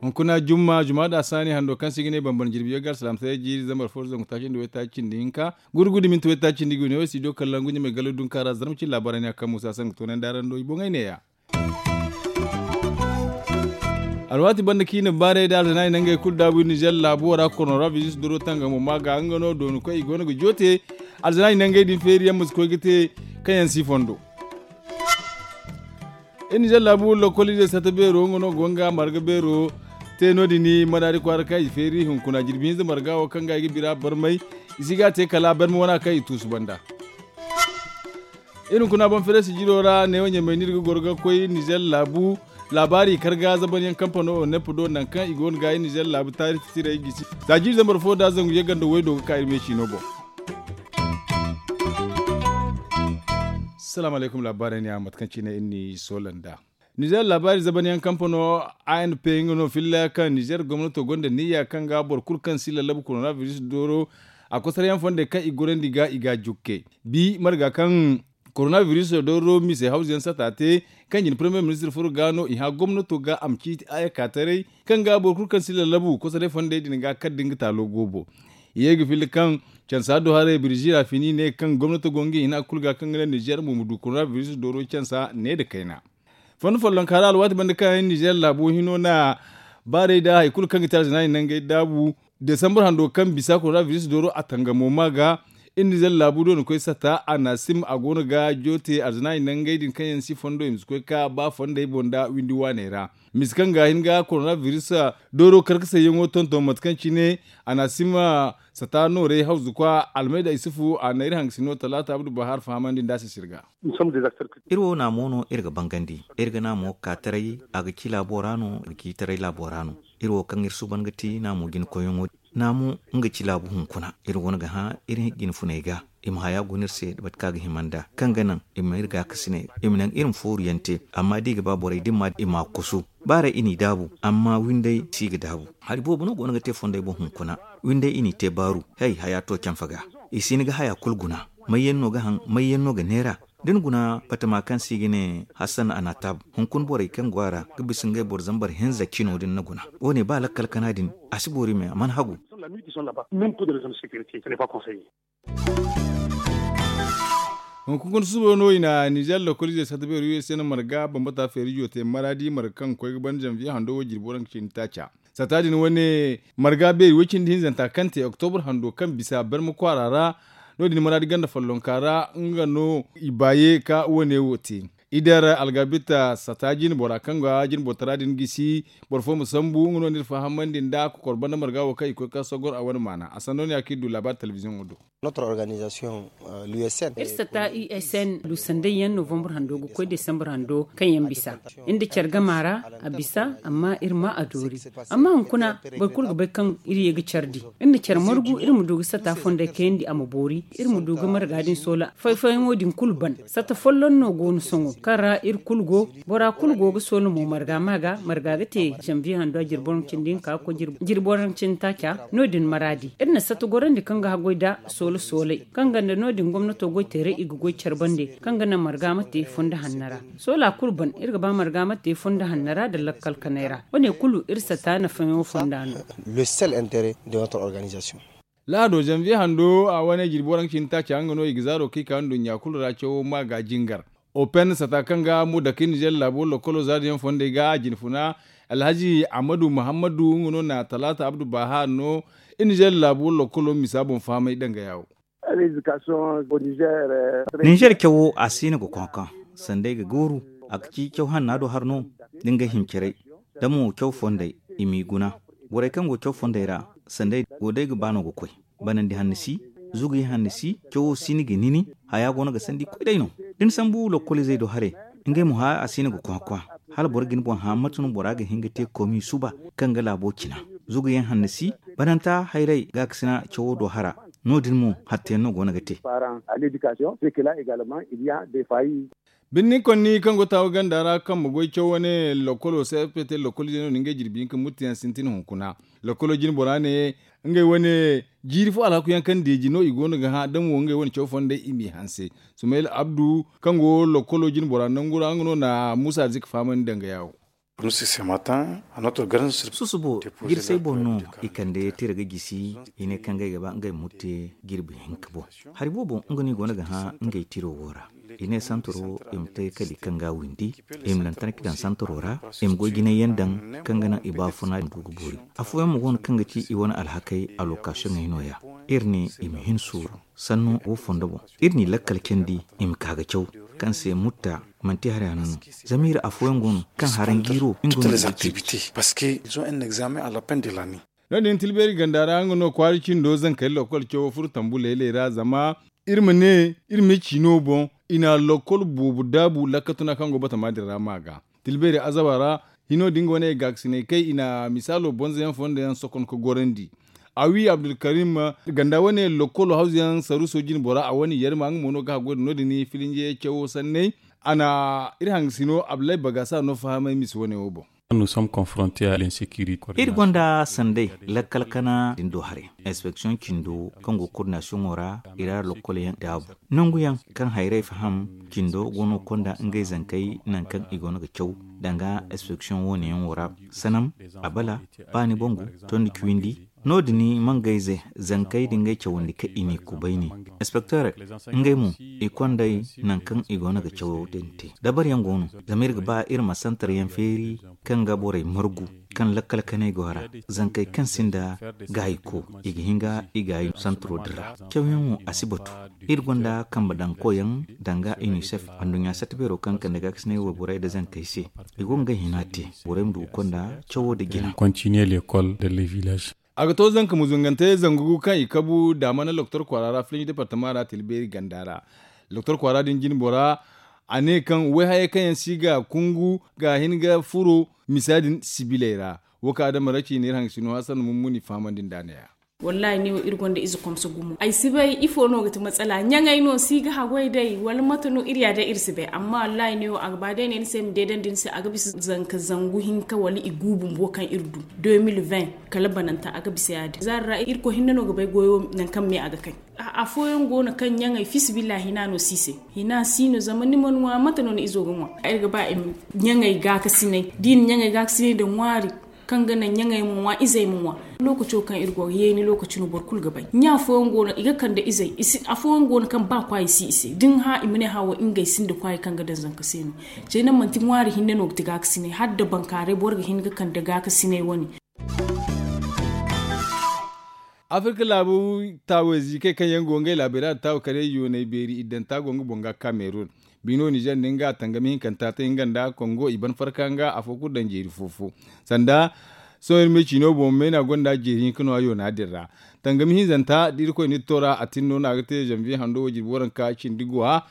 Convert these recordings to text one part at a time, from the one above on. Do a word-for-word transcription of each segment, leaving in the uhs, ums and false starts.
Hunkuna jumma jumma da saani hando kaŋ se i ga ne bambam jirbi yaŋ ga alsalaam se jiiri zambar fo zangu taaci nda waytaaci cindi hinka gurgu da minti waytaaci cindi ga wi ne wo studio kallaŋ gunjamay galo dunka ra zarma cine laabaarey ne a kaŋ muusa se nga toonandi araŋ do i boŋey neeya. Alwaati banda kaŋ i na baarey da alzanaari nangey kulu daabu nizer laabu wo ra korona biris doro tangamo ma ga nga no dooni koy i go no ga joote. Alzanaari nangey din feeri yaŋ ma si koy ga te kaŋ yaŋ si fondo. Iri nizer laabu lokoliizey sata beero nga no go nga marga beero te no- din madaari kwaara kaŋ i feeri hunkuna jirbi hinza marga wo kaŋ ga i ga bira barmay i si ga a te kala barmay wana kaŋ i tuusu banda. Iri hunkuna boŋ fereesi jiro ra neewo ɲamay no iri ga goro ga koy nizer laabu laabaari karga zaban yaŋ kampano onep do nangu kaŋ i go no ga iri nizer laabu taari titirey gisi. Za jiiri zambar fo da zangu yagga nda waydo ga ka iri meesi no boŋ. Salaamu alaykum laabaarey ne a mate kaŋ cine iri n'i soola nd'a. Nizer laabaari zaban yaŋ kampano a n p nga no filla kaŋ nizer gomnato gonda niyya kaŋ ga boro kulu kaŋ si lallabu korona biris dooro a kosaryaŋ fondey kaŋ i gorandi ga i ga a jukke. Bi marga kaŋ korona biris dooro mise hawzu yaŋ sata te kaŋ jina parmiye ministir furo ga no i hã gomnato ga a ma ciiti a ye ka taray kaŋ ga boro kulu kaŋ si lallabu kosaray fondey din ga kala da nga taalo goobo. I ye ga filla kaŋ cansa do haray birzi ra fini ne kaŋ gomnato go nga hina kulu ga kaŋ ga naŋ nizer mo ma du korona biris dooro cansa ne nda kayna. Fondo follonka ra alwaati banda kaŋ nizer laabo hino na baarey da hari kulu kaŋ ga te alzanaari nangey daabu desambar hando kaŋ bisa korona biris dooro a tangamo ma ga. Iri nizer laabu do na koy sata a na sim a go no ga joote alzanaari nangey din kaŋ yaŋ si fondo i ma si koy ka ba fondey boŋ nda windi waaney ra. Mise kaŋ ga hin ga korona biris dooro karkasayyaŋo tonton mate kaŋ cine a na sim sata noorey hawzu kwa almayda isufu a na iri hangasino talaata abdu bahar fahamandi nda a sisir ga. Iri wo naamo no iri ga bangandi iri ga naamo ka taray a ga ci laabo ra no a ga ci taray laabo ra no. Iri wo kaŋ iri suuban ga ti naamo jina koyyaŋo naamo nga ci laabu hunkuna iri go no ga hã iri jina funey ga i ma haya guna iri se bate kaŋ a ga hima nd'a kaŋ ga naŋ i ma iri gaakasiney i ma naŋ iri ma fooru yaŋ te. Amma da i ga ba borey da i ma i ma a kusu baaray i n'i daabu amma windey si ga daabu. Hari boobo no go no ga te fondey boŋ hunkuna windey i n'i te baaru. Hay haya to canfa ga i si hin ga haya kulu guna. May yaŋ no ga haŋ may yaŋ no ga neera da ni guna batama kaŋ se i ga ne hassan anatab hunkuna borey kaŋ go a ra ga bisa ngey boro zambar hinza cino da ni na guna. Wo- ne ba lakkal kana din a si boori me a mana hagu. Hunkuna susubo no i na nizer lokolize sata beeri u s n marga bambata feerijo te maraadi marga kaŋ ga koy ga ban janviye hando wo jirbi waranka cindi taaca. Sata din wane marga beeri way cindi hinzanta kaŋ te oktobur hando kaŋ bisa barma kwaara ra. No- din maraadi ganda follonka ra nga no i baaye ka wane wo te. Idar algabita sata jine bora kaŋ ga jine boro tara din gisi boro fo ma sambu nga no ni iri fahamandi nda kokor banda marga wo kaŋ i koy ka sogor a wane maana a sanno no ya kaŋ iri du laabaari telebiziyoŋo do. Iri sata u s n du sanday yaŋ novembre hando ga koy desambre hando kaŋ yaŋ bisa iri nda care gama ra a bisa amma iri ma a doori. Amma hunkuna boro kulu ga bay kaŋ iri ye ga care di iri na care margu iri ma du ga sata fondey kayandi a ma boori iri ma du ga marga din soola fay-fayaŋo din kulu ban. Sata folloŋ no go no sohõ kaŋ ra iri kulu go bora kulu go ga soola mo marga ma ga marga ga te janviye hando a jirbi waranka cindi hinka ga koy jirbi waranka cindi taaca. No- din maraadi iri na sata gorandi kaŋ ga haggoy nda soola soolay kaŋ ganda no- din gomnato goy teeray i ga goy care bande kaŋ ga naŋ marga ma te fondo hanno ra. Soola kulu ban iri ga ba marga ma te fondo hanno ra nda lakkal kanay ra wane kulu iri sata nafayaŋo fonda no. Lahado janviye hando a wane jirbi waranka cindi taaca nga no i ga zaaro kaŋ i ka nduɲɲa kulu ra cawo ma ga jingar. Open sata kaŋ ga mo dake nizer laabo lokolo zaari yaŋ fondey ga a jine funa alhazi ahmadu muhammadu nga no na talaata abdu baha no. Nizer laabo lokolo misa boŋ fahamay danga yaawo. Nizer cawo a siino ga konkoŋ sanda ay ga gooru a ga ci caw hanna do har no. Da ngey hincarey da mo caw fondey i m'i guna. Borey kaŋ go caw fondey ra sanda ay go day ga ba no ga koy banandi hanna si. Zuguyaŋ hanna si cawo si ni ga nini haya go no ga sanda i koy day no. Da ni sambu lokoliizey do haray ngey mo haya a siino ga konkoŋ hala boro ga ni boŋ hã mate no bora ga hin ga te komi suba kaŋ ga laabo cina. Zuguyaŋ hanna si bananta hayray gaakasina cawo do hara. No- din mo hattayaŋ no go no ga te. Birni konni kaŋ go taawa ganda ra kaŋ ma goy caw wane lokolo se fpt lokolo ize no na ngey jirbi hinka muttu yaŋ sintin hunkuna. Lokolo jine bora ne ngey wane jiiri fo alhaku yaŋ kaŋ deeji no i go no ga hã damo ngey wane caw fondey i m'i hanse. Sumayil abdu kaŋ go lokolo jine bora nangu ra nga no na muusa arzika fahamandi danga yaawo. Susubo jirsey boŋ no i kande tira ga gisi. I ne kaŋ ngey ga ba ngey ma murte jirbi hinka boŋ. Hari boobo nga no i go no ga hã ngey tiro wo ra. I ne santaro i ma te kali kaŋ ga windi. I ma lantarki daŋ santaro ra. I ma goy jinay yaŋ daŋ kaŋ ga naŋ i baafuna du ga boori. Afooyaŋ mo go no kaŋ ga ci i wane alhakey alokasiyoŋey no- ya. Iri ne i ma hin suuru sannu wo fondo boŋ. Iri n'i lakkal candi i ma ka ga caw kaŋ se mutta manti hari hanno no. Zama iri afooyaŋ go no kaŋ haraŋ jiiro nga no ga i ceeci. No- din tilbeeri ganda ra nga no kwaara cindo zankari lokol cawo furo tambu laylay ra zama iri ma ne iri ma ciino boŋ i na lokol boobo daabu lakka tuna kaŋ go batama din ra ma ga. Tilbeeri azaba ra hino din ga wane gaakasinay kay i na misaalo bonzo yaŋ fondo yaŋ sokon ka gorandi. Awi abdulkarim ganda wane lokolo hawzu yaŋ saruuso jine bora a wane yarma nga mo no ga haggoy da no- din filinje cawo sanney. A na iri hangasino abdullahi bagasa no fahamay misa wane wo boŋ. Iri gonda sanday lakkal kana din do haray inspeksiyoŋ cindo kaŋ go koordinasiyoŋo ra i ra lokol yaŋ daabu nangu yaŋ kaŋ hayrey faham cindo go no konda ngey zankey nangu kaŋ i go no ga caw danga inspeksiyoŋ wo- ne yaŋ wo ra. Sanam, abala, baani bangu, tondi ciwindi. No- din mangayze zankey da ngey cawandi kaŋ i n'i kubayni. Inspekteerey ngey mo i konday nangu kaŋ i go no ga cawo din te. Dabari yaŋ go no zama iri ga ba iri ma santar yaŋ feeri kaŋ ga borey margu kaŋ lakkal kanay go a ra. Zankey kaŋ sinda gaayi ko i ga hin ga i gaayi santaro din ra. Cawyaŋo a si batu. Iri gonda kambe daŋ koyaŋ danga unicef anduɲɲa satta beero kaŋ kande gaakasinay wayborey nda zankey se. I go ga ngey hina te borey ma du ga konda cawo nda jina. A ga to zanka muzungante zangu kaŋ i kabu daamana loktor kwaara ra filinji departama ra tilbeeri ganda ra. Loktor kwaara din jine bora a ne kaŋ wayhayey kaŋ yaŋ si ga kungu ga hin ga furo misa din sibiley ra. Wo kaŋ adama ra ci ne iri hangasino hasan mummuni fahamandi nda a ne ya. Wallaahi ne wo iri gonda ize komso gumo ay si bay ifo no ga ti matsala ɲaŋey no si ga haggoy day wala mate no iri ya day iri si bay amma wallaahi ne wo a ga ba day ne ni se ma deedandi ni se a ga bisa zanka zangu hinka wala i gu bumbo kaŋ iri du. Kala bananta a ga bisa ya- din zaari ra irkoy hinne no ga bay goyo nangu kaŋ me a ga kay. Afooyaŋ go no kaŋ ɲaŋey fiisabilillahi hina no si i se. Hina si no zama ni mana ŋwa mate no ni izo ga ŋwa? Iri ga ba i ma ɲaŋey gaakasinay da i na ɲaŋey gaakasinay nda ŋwaari kaŋ ga naŋ ɲaŋey ma ŋwa izey ma ŋwa. Lookaco kaŋ iri go ga yeeni lookaci no boro kulu ga bay ɲa fooyaŋ go no i ga kande izey. Afooyaŋ go no kaŋ ba kwaayi si i se da ni hã i ma ne hã wo ngey sinda kwaayi kaŋ ga daŋ zanka se no. Cey naŋ manti ŋwaari hinne no ga ti gaakasinay hala nda bankaaray boro ga hin ga kande gaakasinay wane. Afirka laabu taawey ziikey kaŋ yaŋ go ngey laabey ra da taawu karey yooney beeri iddanta go nga boŋ ga kamerun. Bino nizer nda nga tangami hinkanta te nga nda kongo i ban farka nga afo kulu daŋ jeeri fo-fo. Sanda sohõ iri me ciino boŋ meena gonda jeeri hinka no a yoona din ra. Tangami hinzanta da irkoy na iri to ra a tin no no a ga te zanviye hando wo jirbi waranka cindi guwa.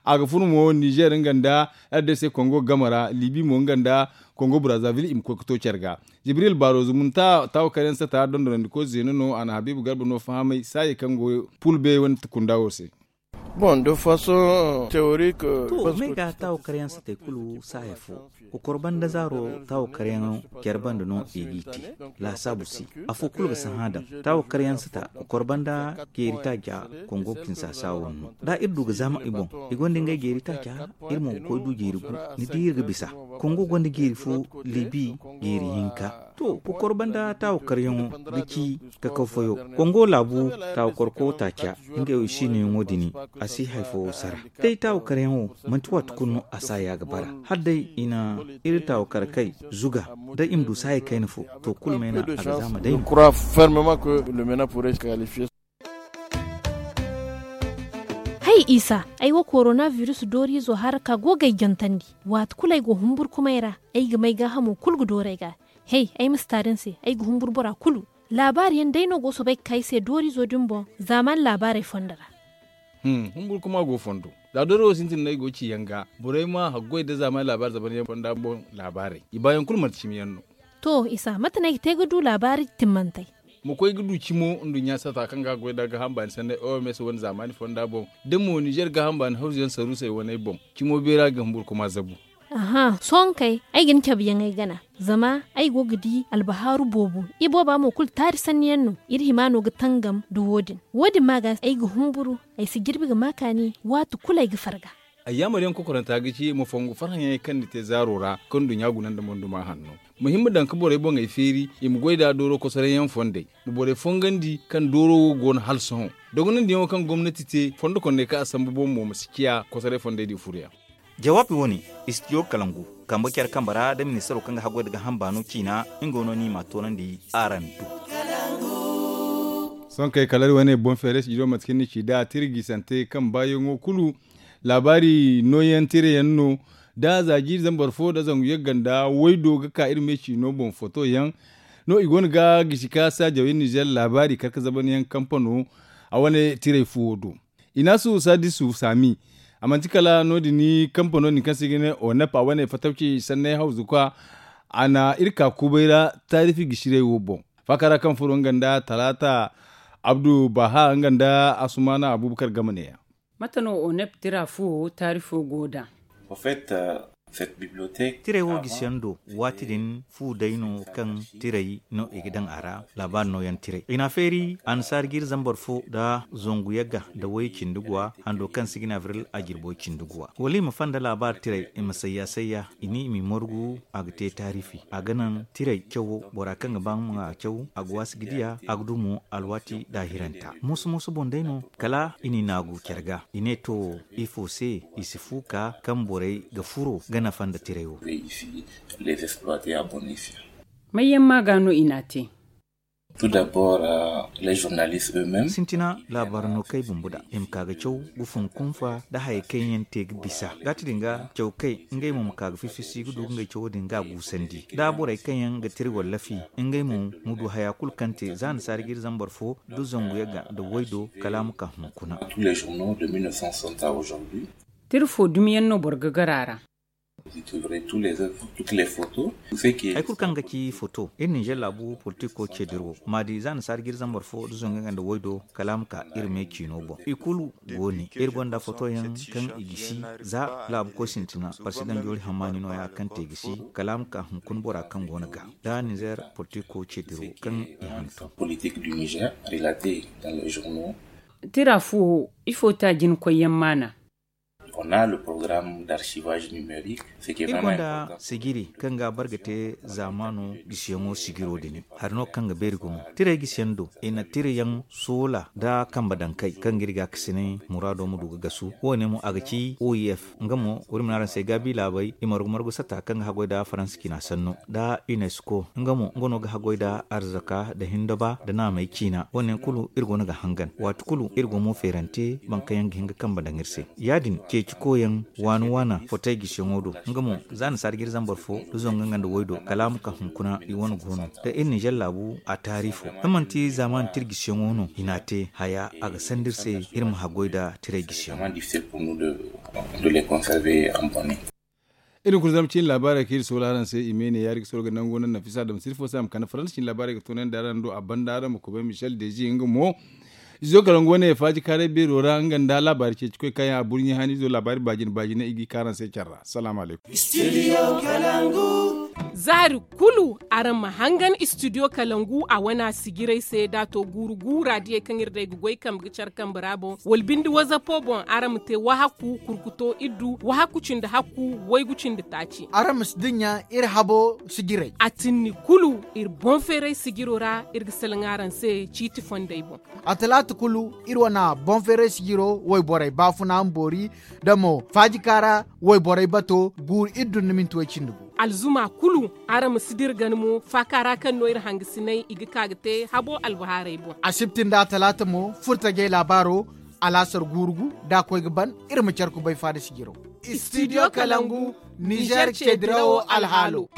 A ga furo mo nizer nga nda rdc kongo game ra libi mo nga nda kongo brazaville i ma koy ga to care ga. Jibril baro zumunta taawo karyaŋ sata dondonandiko zeeno no a na habiibu garba no fahamay saayey kaŋ go pulbe wane kunda wo se. Bon de façon théorique. To may ga taawo karyaŋ satey kulu saaya fo. Kokor banda zaaro taawo karyaŋo care banda no i g'i te. Laasaabu se afo kulu ga sahã daŋ taawo karyaŋ sata kokor banda jeeri taaca kongo kinsasa wo no da iri du ga zaama i boŋ i gonda ngey jeeri taaca. Iri mo ga koy du jeeri gu ni di iri ga bisa. Kongo gonda jeeri fo libi jeeri hinka. To kokor banda taawo karyaŋo ga ci kakaw fayo. Kongo laabu taawo korko taaca ngey wo i siinoyaŋo dini. A si hay fo sara day taawo karyaŋo manti waati kulu no a saaya ga bara hala day i na iri taawo kar kay zuga da i ma du saaya kayna fo. To kulu meena a ga zaama day no. Hay isa ay wo korona virus dooriizo haraka go ga ay jantandi. Waati kulu ay go humburkumay ra ay ga may gaahamo kulu ga dooru ay ga. Hey ay ma si taari ni se ay ga humburu bora kulu. Laabaari yaŋ day no go soobay ga ka ay se dooriizo din boŋ. Zaamaani laabaarey fondo ra. Humburkuma go fondo. Za dooriizo sintin no ay go ga ci yaŋ ga borey ma haggoy nda zaamaani laabaari zamanyaŋ fonda boŋ. Laabaarey i baayaŋ kulu manti cimi yaŋ no. To isa mate no ay ga te ga du laabaari timmantey? ma koy ga du cimo nduɲɲa sata kaŋ ga a goy nda gaaham baani sanney oms wane zaamaani fonda boŋ, da mo nizer gaaham baani hawzu yaŋ saruusey waney boŋ. Cimo beera ga humburu kuma zabu. Aha, sohõ kay, ay ga ni cabe yaŋ ay gana. Zama ay go ga di albahaaru boobo. Ibooba mo kulu taari sanni yaŋ no. Iri hima no ga tangam nda wo- din. Wo- din ma ga ay ga humburu. Ay si jirbi ga ma kaani waati kulu ay ga farga. Ayyaamar yaŋ kokoranta ga ci ma fongu farhã yaŋey kaŋ ni te zaaro ra kaŋ nduɲɲa guna nda monduma hanno. Muhimma daŋ ka borey boŋey feeri i ma goy nda dooro kosoray yaŋ fondey. Ma borey fongandi kaŋ dooro wo go no hala sohõ. Dogonandiyaŋo kaŋ gomnati te fondo kondey kaŋ a sambu boŋ mo ma si ciya kosoray fondey din furoyaŋ. Jawaabi wo- ne, istidiyo kalangu kambe care kambe ra nda ministaro kaŋ ga haggoy nda gaaham baano ciina. Nga no ni ma a toonandi araŋ do. Sohõ kay kala iri wane boŋ feeray si jiro mate kaŋ ni ci nd'a tira gisante kaŋ baayaŋo kulu. Laabaari nooyaŋ tirayaŋ no. Da za jiiri zambar fo nda zangu yagga nda waydo ga ka iri me ciino boŋ foto yaŋ. No i go no ga gisi ka saajawey nizer laabaari kar ga zaban yaŋ kampano a wane tiray fuwo do. Inaasu sadisu saami. A manti kala no- din kampano din kaŋ se i ga ne onep a wane fatawci sanney hawzu kwa. A na iri ka kubay ra taarifi gisiray wo boŋ. Faaka ra kaŋ furo nga nda talaata abdu baha nga nda asumaana abubakar game ne- ya. Mate no onep tira fuwo taarifo go nd'a? Tiray wo gisiyaŋ do waati din fu day no kaŋ tiray no i ga daŋ a ra. Laabaari nooyaŋ tiray i n'a feeri annasaari jiiri zambar fo nda zangu yagga nda way cindi guwa hando kaŋ se i ga ne abril a jirbo cindi guwa wala i ma fanda laabaari tiray i ma sayya sayya i ne i m'i margu. A ga te taarifi a ga naŋ tiray cawo bora kaŋ ga ba nga ma a caw a ga waasi ga diya a ga du mo alwaati daahiranta mooso mooso boŋ day no. Kala i n'i naagu care ga i ne to ifo se i si fu ka kaŋ borey ga furo ga nafa nda tiray wo. Mayyaŋ ma ga no i n'a te? Sintina laabaari no kay bumbo da i ma ka ga caw ga fun kunfa nda hayey kaŋ yaŋ te ga bisa gaati din ga caw kay ngey mo ma ka ga fifisi ga du ngey cawo din ga a guusandi nda borey kaŋ yaŋ ga tira wallafi ngey mo ma du haya kulu kaŋ te za annasaari jiiri zambar fo nda zangu yagga nda waydo kala a ma ka hunkuna. Tira fo dumiyaŋ no boro ga gar a ra. Hay kulu kaŋ ga ci foto iri ninzeer laabu politiko ceediro ma a di za annasaari jiiri zambar fo nda zangu yagga nda waydo kala a ma ka iri me ciino boŋ i kulu go ne iri gonda fotoyaŋ kaŋ i gisi za laabu koy sintina parsidaŋ joori hammaani nooya kaŋ te gisi kala a ma ka hunkuna bora kaŋ go no ga nda ninzeer politiko ceediro kaŋ i hantum. Tira fuwo ifo te a jinakoyyaŋ maana? Iri gonda sijiri kaŋ ga a bar ga te zaamaano gisiyaŋo sijiro din hari no kaŋ ga beeri gumo tiray gisiyaŋ do i na tirayaŋ soola nda kambe daŋ kay kaŋ ga iri gaakasinay muraado ma du ga gasu wo- ne mo a ga ci o i f nga mo wari ma ne araŋ se gaabi laabey i margu margu sata kaŋ ga haggoy nda faransa ciina sanno nda unesco nga mo nga no ga haggoy nda arzaka nda hindaba nda naamey ciina wo- ne yaŋ kulu iri go no ga hangan waati kulu iri go mo feerante boro kaŋ yaŋ ga hin ga kambe daŋ iri se ya- din ceeci koyyaŋ waana waana fotey gisiyaŋo do nga mo za annasaari jiiri zambar fo nda zangu nga nda waydo kala a ma ka hunkuna i wane go no da iri ninzeer laabu a taarifo da manti zaamaani tira gisiyaŋo no i n'a te haya a ga sanda iri se iri ma haggoy nda tiray gisiyaŋo. Iri kulu zama ciine laabaarey kaŋ iri soola araŋ se i me ne yaari ga soola ga nango naŋ nafisa dam sirfo se a ma kande faransa ciine laabaarey ga toonandi araŋ do a banda araŋ ma kubay michel dezi nga mo. Izo kala nga wane faaji kaaray beero ra nga nda laabaari ceeci koy kaŋ yaŋ a burɲe hani izo laabaari baajine baajine i g'i ka araŋ se care ra salaamu alaykum. Zaari kulu araŋ ma hangan istidiyo kalangu a wana sijirey se da a to guuru guura diyey kaŋ iri day ga goy kambe ga care kambe ra boŋ wala binde wazapo boŋ araŋ ma te wahaku kurkuto iddu wahaku cindi hakku waygu cindi taaci. Araŋ ma si dinya iri habo sijirey. A tinni kulu iri boŋ feeray sijiro ra iri ga salaŋ araŋ se ciiti fondey boŋ. A talaata kulu iri wana boŋ feeray sijiro wayborey baafuna ma boori da mo faajika ra wayborey bato guuru iddu nda minti way cindi gu. Alzuma kulu araŋ ma si dira gana mo faaka ra kaŋ no iri hangasinay i ga ka ga te habo albahaarey boŋ. Asibti nda talaata mo furtajey laabaaro alaasar guuru gu da a koy ga ban iri ma care kubay faada sijiro. Istidiyo kalangu nizer ceedirawo alhaalo.